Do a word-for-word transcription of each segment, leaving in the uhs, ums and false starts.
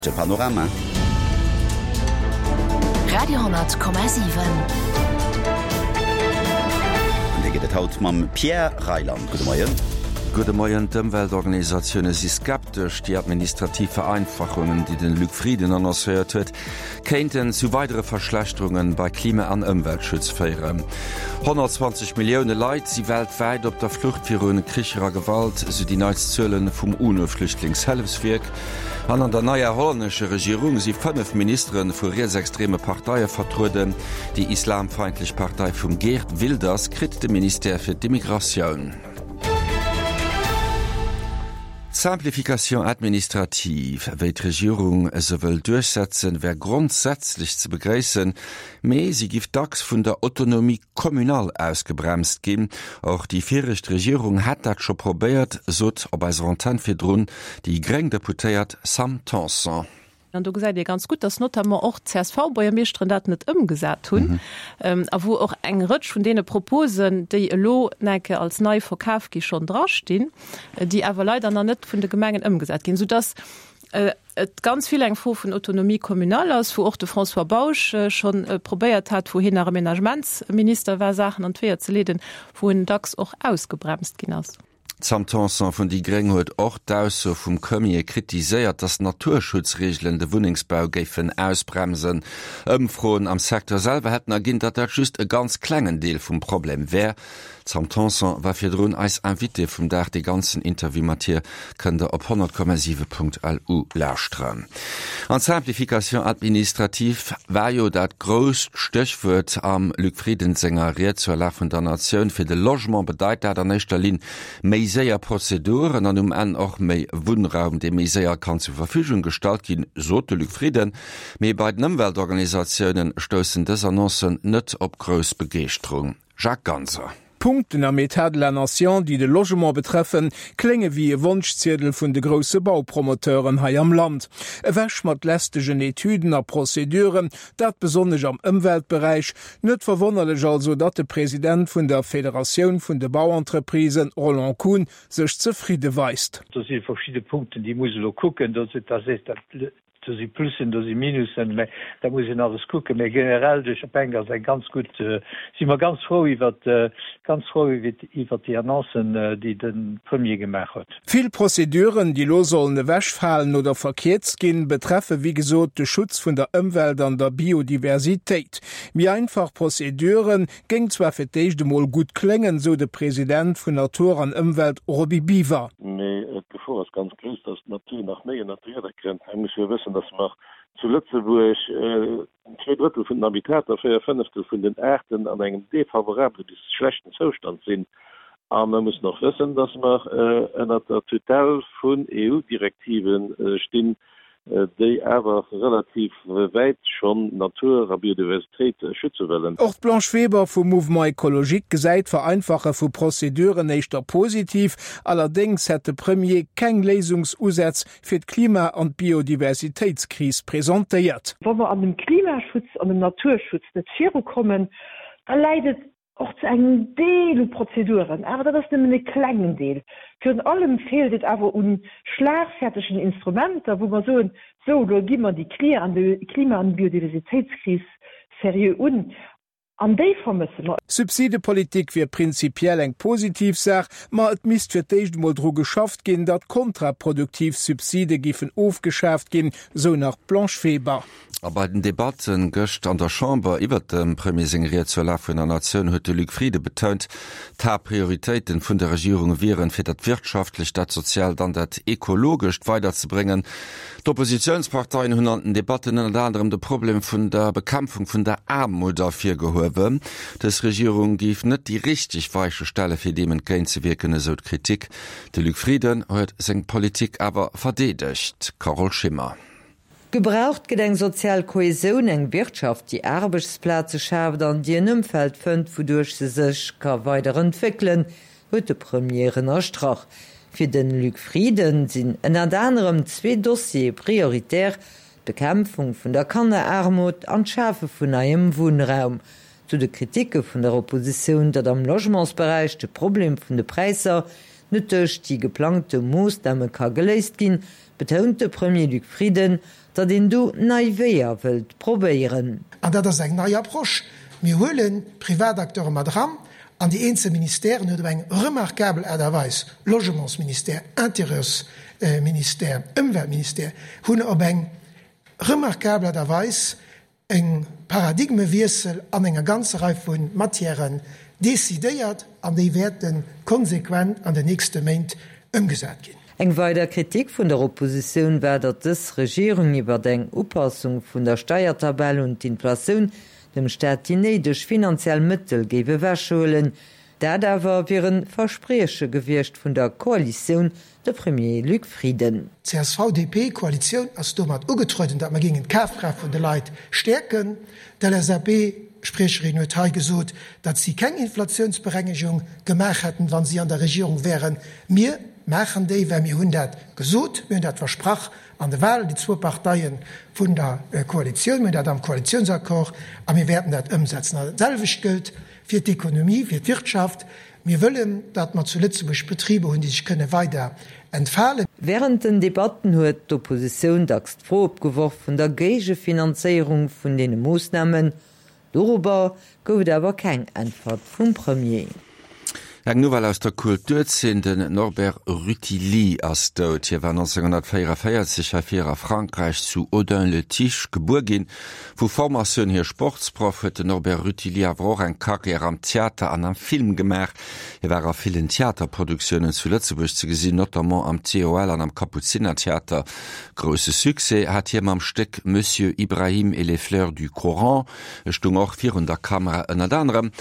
De Panorama. Radio hundert Komma siwen. An dee gëtt et haut mam Pierre Reyland. Gudde Moien. Gudde Moien. D'Ëmweltorganisatioune si skeptesch. Déi administrativ Vereinfachungen, déi den Luc Frieden annoncéiert huet, kéinten zu weidere Verschlechterunge bei Klima an Ëmweltschutz féieren. honnertzwanzeg Millioune Leit si weltwäit op der Flucht viru Kricher a Gewalt, sou déi neitst Zuele vum UNO-Flüchtlingshëllefswierk. An an der neier hollännescher Regierung si fënnef Ministere vu rietsextreme Parteie vertrueden. Déi islamfeindlech Partei vum Geert Wilders kritt de Ministère fir d'Immigratioun. D'Simplification administrative, wéi d'Regierung se wëll duerchsetzen, wär grondsätzlech ze begréissen, mee si giff dacks vun der Autonomie communale ausgebremst ginn. Och déi viregt Regierung hätt dat scho probéiert, sot op eiser Antenn virdrun déi gréng Deputéiert Sam Tanson. An do gesäit ee ganz gutt, dass notamment och d'CSV-Buergermeeschteren dat net ëmgesat hunn a wou och eng Rëtsch vun deene Proposen, déi elo enke als nei verkaf gi schonn drastinn, déi awer leider nach net vun de Gemengen ëmgesat ginn, soudass et ganz vill eng Fro vun Autonomie communale ass, wou och de François Bausch schonn probéiert hat, wou hien nach Aménagementsminister war, Saachen an d'Weeër ze leeden, wou en dacks och ausgebremst ginn ass. D'Sam Tanson vun déi Gréng huet och d'Ausso vum Premier kritiséiert, datt Naturschutzreegelen de Wunnengsbau géifen ausbremsen. Ëmfroen am Secteur selwer hätten erginn, datt dat just e ganz klengen Deel vum Problem wär. D'Sam Tanson war virdrun eis Invitée vum Dag. Dee ganzen Interview mat hir kënnt der op honnert Komma siwe Punkt L U lauschteren. An d'Simplification administrative war jo dat grousst Stéchwuert am Luc Frieden senger Ried zur Lag vun der Natioun. Fir de Logement bedeit dat an éischter Linn méi séier Prozeduren an um Enn och méi Wunnraum, dee méi séier kann zur Verfügung gestallt ginn, sot de Luc Frieden. Mee bei den Ëmweltorganisatiounen stoussen dës Annoncen net op grouss Begeeschterung. Jacques Ganser. D'Punkten am État de la Nation, déi de Logement betreffen, klénge wéi e Wonschziedel vun de grousse Baupromoteuren hei am Land. Ewech mat lästegen Etüden a Prozeduren, dat besonnesch am Ëmweltberäich. Net verwonnerlech also, datt de President vun der Federatioun vun de Bauentreprisen, Roland Kuhn, sech zefridde weist. Do si verschidde Punkten, déi muss ee elo kucken. Do si Plussen, do si Minussen, mä dat muss een alles kucken. Mä generell duerch d'Bänk ass eng ganz gutt, si mer ganz frou iwwert, ganz frou iwwert déi Annoncen, déi de Premier gemaach huet. Vill Prozeduren, déi elo sollen ewechfalen oder verkierzt ginn, betreffe wéi gesot de Schutz vun der Ëmwelt an der Biodiversitéit. Méi einfach Prozedure géing zwar fir d'éischt emol gutt kléngen, sou de President vun Natur an Ëmwelt Roby Biwer. Mee d'Gefor ass ganz grouss, datt d'Natur nach méi ënnert d'Rieder kënnt. Mir musse jo wëssen, datt mer zu Lëtzebuerg zwee Drëttel vun den Habitater, véier Fënneftel vun den Aarten an engem defavorabele bis schlechten Zoustand sinn. A mer mussen och wëssen, datt mer ënnert der Tutelle vun E U-Direktive stinn, déi awer relativ wäit schonn Natur a Biodiversitéit schütze wëllen. Och d'Blanche Weber vum Mouvement Ecologique gesäit d'Vereinfache vu Prozeduren éischter positiv. Allerdéngs hätt de Premier keng Léisungsusätz fir d'Klima an d'Biodiversitéitskris presentéiert. Wa mer an dem Klimaschutz an dem Naturschutz net virukommen, da läit et och zu engem Deel u Prozeduren, awer dat ass nëmmen e klengen Deel. Virun allem feelt et awer u schlagfertegen Instrumenter, wou mer soen, sou, elo gi mer déi Klima an Biodiversitéitskris seriö un. An déi vermësse mer. Subsidepolitik wier prinzipiell eng positiv Saach, ma et misst fir d'éischt emol dru geschafft ginn, datt kontraproduktiv Subside giffen ofgeschaaft ginn, sou nach d'Blanche Weber. A bei den Debatte gëscht an der Chamber iwwert dem Premier seng Ried zur Lag vun der Natioun huet de Luc Frieden betount, d'Haaptprioritéiten vun der Regierung wieren, fir dat Wirtschaftlecht, dat Soziaalt an dat Ekologescht weiderzebréngen. D'Oppositiounsparteien hunn an den Debatten ënnert anerem de Problem vun der Bekämpfung vun der Aarmut ervirgehuewen. Dës Regierung géif net déi richteg Weiche stelle fir deem entgéintzewierken, esou d'Kritik. De Luc Frieden huet seng Politik awer verdeedegt. Carole Schimmer. Gebraucht gëtt eng sozial Kohäsioun, eng Wirtschaft, déi Aarbechtsplaze schaaft an déi en Ëmfeld fënnt, wouduerch se sech ka weiderentwéckelen, huet de Premier ënnerstrach. Fir de Luc Frieden sinn ënnert anerem zwee Dossiere prioritär, d'Bekämpfung vun der Kanneraarmut an d'Schafe vun neiem Wunnraum. Zu de Kritike vun der Oppositioun, datt am Logementsberäich de Problem vun de Präisser net duerch déi geplangte Moossname ka geléist ginn, betount de Premier Luc Frieden, datt een do nei Weeër wëllt probéieren. An dat ass eng nei Approche. Mir huelen d'Privatacteure mat eran an déi eenzel Ministèren huet op eng remarkabel Aart a Weis, Logementsministère, Intérieursministère, Ëmweltministère, hunn op eng remarkabel Aart a Weis e Paradigmewiessel an enger ganzer Rei vu Matièren decidéiert an déi wäerte konsequent an den nächste Méint ëmgesat ginn. Eng weider Kritik vun der Oppositioun war, datt dës Regierung iwwer eng Upassung vun der Steiertabell un d'Inflatioun dem Staat déi néideg finanziell Mëttel géif ewechhuelen. Dat awer wier e Versprieche gewiescht vun der Koalitioun, de Premier Luc Frieden. D'CSV-DP-Koalitioun ass domat ugetrueden, datt mer géingen d'Kafkraaft vun de Leit stäerken. D'LSAP-Spriecherin huet hei gesot, datt si keng Inflatiounsberengegung gemaach hätten, wa si an der Regierung wären. Mir maachen déi, well mir hunn dat gesot, mir hunn dat versprach an de Wahlen, déi zwou Parteie vun der Koalitioun, mir hunn dat am Koalitiounsaccord a mir wäerten dat ëmsetzen. An dat selwecht gëllt fir d'Ekonomie, fir d'Wirtschaft. Mir wëllen, datt mer zu Lëtzebuerg Betriber hunn, déi sech kënne weider entfalen. Wärend den Debatten huet d'Oppositioun dacks d'Fro opgeworf vun der Géigefinanzéierung vun deene Moossnamen. Dorobber gouf et awer keng Äntwert vum Premier. Eng Nouvelle aus der Kulturzeen, Den Norbert Rutili ass dout. Hie war nonzénghonnertvéierenvéierzeg hei vir a Frankräich zu Audun-le-Tiche gebuer ginn. Vu Formatioun hier Sportsproff, huet den Norbert Rutili awer och eng Karriär am Theater an am Film gemaach. Hie war a villen Theaterproduktiounen zu Lëtzebuerg ze gesinn, notamment am T O L an am Kapuzinertheater. Grousse Succès hat hie mam Stéck Monsieur Ibrahim et les fleurs du Coran. E stung och virun der Kamera, ënnert anerem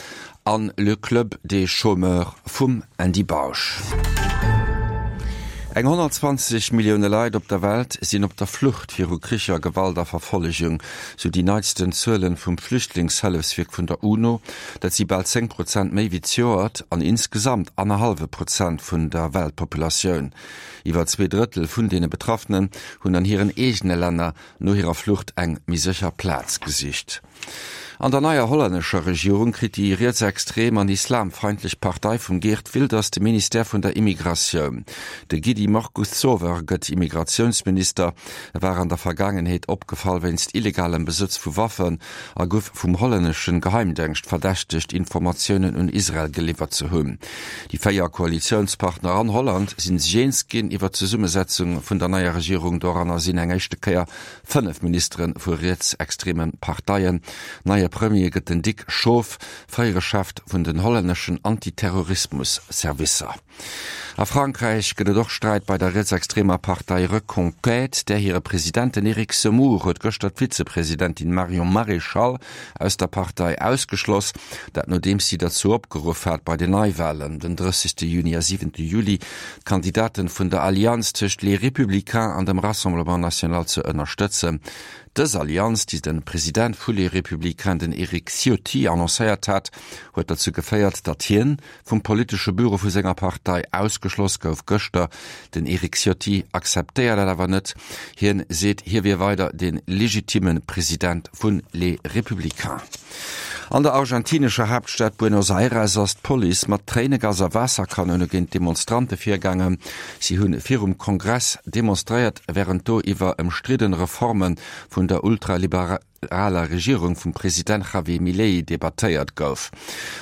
an Le Club des chômeurs vum Andy Bausch. Eng honnertzwanzeg Millioune Leit op der Welt sinn op der Flucht viru Kricher, Gewalt a Verfollegung, sou déi neitsten Zuelen vum Flüchtlingshëllefswierk vun der UNO. Dat si bal zéng Prozent méi wéi zejoert an insgesamt annerhallwe Prozent vun der Weltpopulatioun. Iwwer zwee Drëttel vun deene Betraffenen hunn an hiren eegene Länner no hirer Flucht eng méi sécher Plaz gesicht. An der neier hollännescher Regierung kritt déi rietsextrem an islamfeindlech Partei vum Geert Wilders de Ministère vun der Immigratioun. De Gidi Markuszower gëtt Immigratiounsminister. E war an der Vergaangenheet opgefall wéinst illegalem Besëtz vu Waffen a gouf vum hollänneschen Geheimdéngscht verdächtegt, Informatiounen un Israel geliwwert ze hunn. Déi véier Koalitiounspartner an Holland si sech eens ginn iwwer d'Zesummesetzung vun der neier Regierung. Doranner sinn eng éischte Kéier fënnef Ministere vu rietsextreme Parteien. Neie Premier gëtt den Dick Schoof, fréiere Chef vun den hollänneschen Antiterrorismus-Servicer. A Frankräich gëtt et och Sträit bei der rietsextremer Partei Reconquête. Där hire President, den Eric Zemmour, huet gëschter d'Vizepresidentin Marion Maréchal aus der Partei ausgeschloss. Dat nodeems si derzou opgeruff hat, bei den Neiwalen den drëssegste Juni a siwente Juli d'Kandidaten vun der Allianz tëscht Les Républicains an dem Rassemblement National ze ënnerstëtzen. Dës Allianz, déi de President vu Les Républicains, den Eric Ciotti, annoncéiert hat, huet derzou geféiert, datt hien vum politesche Büro vu senger Partei ausgeschloss gouf gëschter. Den Eric Ciotti akzeptéiert dat awer net. Hien seet, hie wier weider de legitimme President vun Les Républicains. An der argentinescher Haaptstad Buenos Aires ass d'Police mat Tréinegas a Waasserkanoune géint Demonstrante virgaangen. Si hunn virum Kongress demonstréiert, wärend do iwwer ëmstridden Reforme vun der ultraliberaler Regierung vum President Javier Milei debattéiert gouf.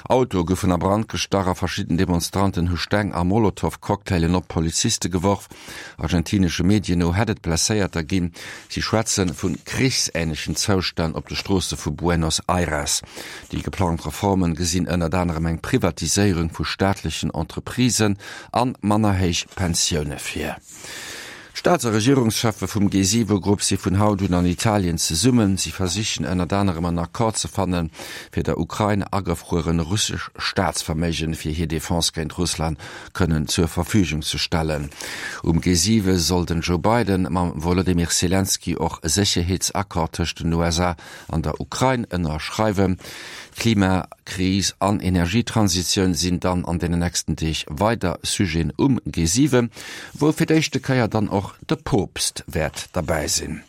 Autoe goufen a Brand gestach a verschidden Demonstranten hu Steng a Molotow-Cocktailen op Poliziste geworf. Argentinesche Medien no hätt et Blesséierter ginn. Si schwätze vu krichsähnlechen Zoustänn op de Stroosse vu Buenos Aires. Déi geplangt Reformen gesinn ënnert anerem eng Privatiséierung vu staatlechen Entreprisen an manner héich Pensioune vir. D'Staats a Regierungscheffe vum G siwe Grupp si vun haut un an Italien zesummen. Si versichen ënnert anerem en Accord ze fannen, fir der Ukrain agefrueren russesch Staatsverméigen fir hir Defense géint Russland kënnen zur Verfügung ze stellen. Um G siwe soll den Joe Biden mam Wolodymyr Selenskyj och e Sécherheetsaccord tëscht den U S A an der Ukrain ënnerschreiwen. Klimakris an Energietransitioun sinn dann an den nächsten Deeg weider Sujeten um G siwen, wou fir d'éischte Kéier dann och de Poopst wäert derbäi sinn.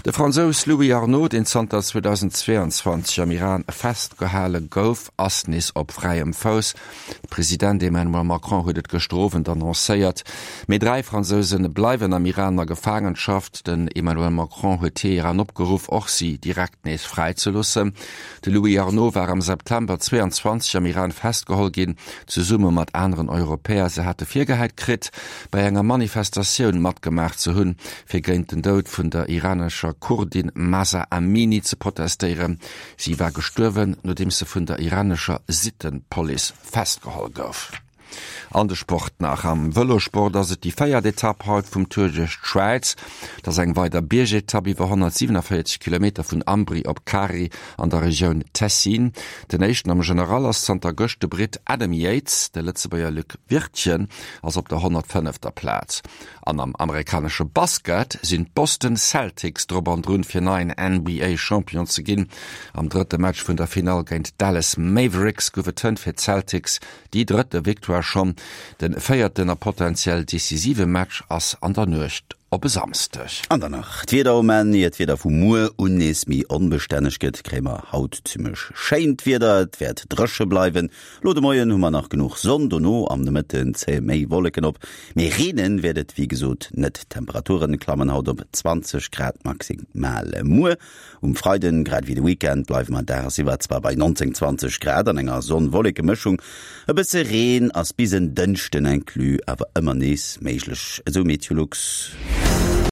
De Fransous Louis Arnaud, deen zanter zweedausendzweeanzwanzeg am Iran festgehale gouf, ass nees op fräiem Fouss. De President Emmanuel Macron huet et gëschter Owend annoncéiert. Mee dräi Fransouse bleiwen am Iran a Gefaangenschaft. Den Emmanuel Macron huet Teheran opgeruff, och si direkt nees fräi ze loossen. De Louis Arnaud war am September zweeanzwanzeg am Iran festgeholl ginn, zesumme mat aneren Europäer. Se hate virgehäit kritt, bei enger Manifestatioun matgemaach ze hunn, fir géint den Doud vun der iranescher Kurdin Mahsa Amini ze protestéieren. Si war gestuerwen, nodeems se vun der iranescher Sittenpolice festgeholl gouf. An de Sport nach. Am Vëlosport ass et déi véiert Etapp haut vum Tour duerch d'Schwäiz. Et ass eng weider Biergetapp iwwer honnertsiewenavéierzeg Kilometer vun Ambri op Cari an der Regioun Tessin. Den éischten am General ass zanter gëscht de Britt Adam Yates. De Lëtzebuerger Luc Wirtgen ass op der honnertfënnefter Plaz. An am amerikanesche Basket sinn d'Boston Celtics drop an drun, fir neien N B A Champion ze ginn. Am drëtte Match vun der Finall géint d'Dallas Mavericks gouf et hënt fir d'Celtics déi drëtte Victoire schonn. De véierten a potenziell decisive Match ass an der Nuecht op e Samsdeg. An dann nach d'Wieder um Enn. Ier d'Wieder vu muer un nees méi onbestänneg gëtt, kréie mer haut zimmlech schéint Wieder. Et wäert dréche bleiwen. Lo de Moien hu mer nach genuch Sonn, dono am Nomëtten zéie méi Wolleken op, mee reene wäert et wéi gesot net. D'Temperature klammen haut op zwanzeg Grad maximal. Muer um Freiden, grad ewéi de Weekend, bleiwe mer dagsiwwer zwar bei neunzéng, zwanzeg Grad an enger Sonn-Wolleke-Mëschung. E bësse Reen ass bis en Dënschden inclus awer ëmmer nees méiglech, esou Meteolux.